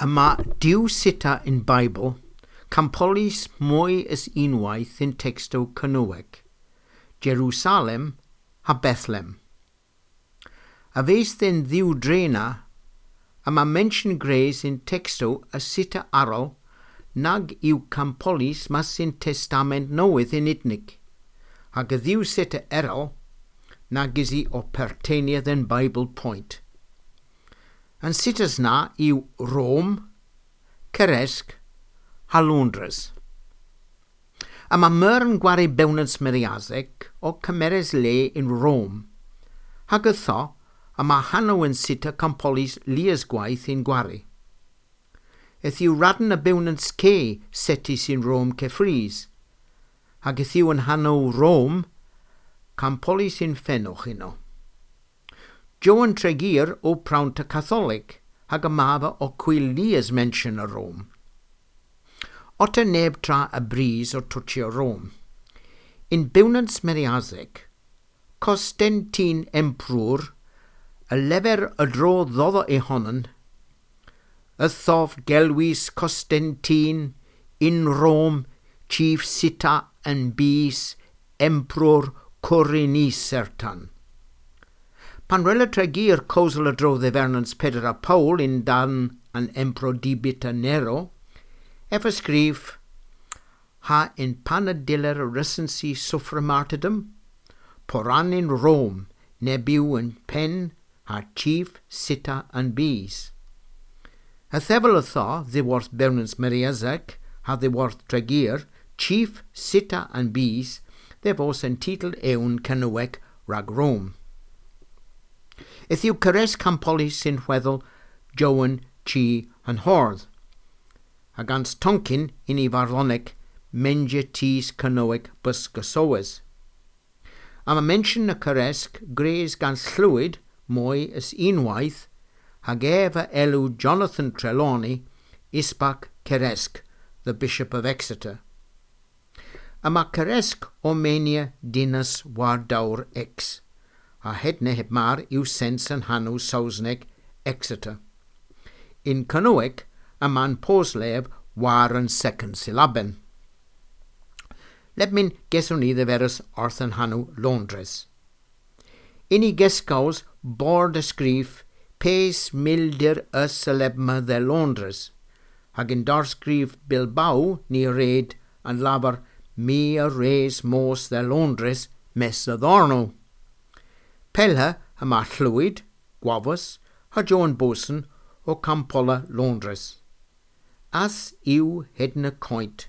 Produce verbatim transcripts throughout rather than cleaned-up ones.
Yma diw sita in Bible, campolis mwy ys unwaith in texto Cynweg, Jerusalem ha Bethlehem. A fees den ddiw drena, a ma mention grace in texto a sita arol, nag yw campolis mas in testament newydd in itnig, hag y ddiw sita erol, nag isi o perteniad in Bible point. An sitas na yw Rome, Ceresk, ha Londres. A mae myr yn gwario bewnans Meriasec o cymeres le in Rome. Hag ytho, a mae hanw yn sita campolis lias gwaith in gwari. Eth yw radn y bewnans ce setis in Rome cefris. Hag eth yw yn hanw Rome, campolis in ffenwch uno. Joan Tregear o prawn ta Catholic, hag y mafa o cwylias mention y Rome. Otter neb tra y bris o twtio Rome. In bewnans Meriasec, Constantine Emperor, y lefer y dro ddoddo e honan, y thof gelwis Constantine in Rome chief sita and bis emperor Corinis sertan. Pan rela Tregear cosel y dro ddefernans Pedr a Paul in dan an emperor dibita Nero, ef ysgrif, ha in panadiller recensi suffra martyrdom, poran in Rome, nebiw yn pen, ha chief sita and bees. A thefel ytho, ddiworth bewnans Meriasec, ha ddiworth Tregear, chief sita and bees, ddefos yn titl ewn Cynwec rag Rome. Eth yw Ceres Campolis sy'n hweddol Joan Chi yn Hordd. A gans Tonkin in i farlonec menje tis Cynwec bysgysowes. A ma mention y Ceresg gres gan llwyd mwy ys unwaith hag ef a elw Jonathan Trelawney isbac Ceresg, the Bishop of Exeter. A ma Ceresg o menia dinas war dawr ex, a hedne heb mar yw sens yn hanw Saesneg Exeter. In Cynwec, a man poslef war yn second syllaben. Lebmin geswn ni ddeferus orth yn hanw Londres. In i gesgaws bord ysgrif pes mildir y celebma dde Londres, hag in darsgrif Bilbao ni red yn lafar mi a res mos dde Londres mes y ddorno. Pelha y ma llwyd, gwafus, ha Joan Boson o Campola Londres. As yw hedna coint.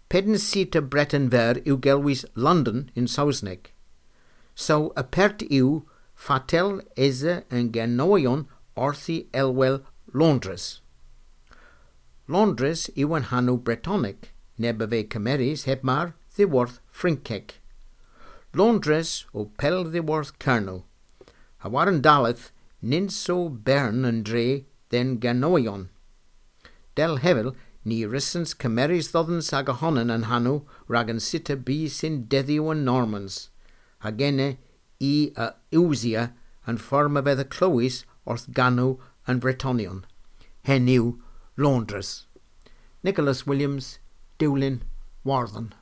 Pedn sita Breton ver yw gelwys London in Saesneg. So y pert yw fatel ese yn genoion orthi elwel Londres. Londres yw yn hanw Bretonic, neb y fe cymeris heb mar ddiworth Ffrinceg. Londres o pel ddiworth Cerno. A war yn daleth nid so bern yn dre den ganoion. Del hefel ni rysens cymeris ddoddens ag ohonan yn hanw rag yn sita bu sy'n deddiw yn Normans. A genne i y Iwsia yn fform y fedd y clywys wrth ganw yn Bretonion. Hen yw Londres. Nicholas Williams, Dewlyn, Warthen.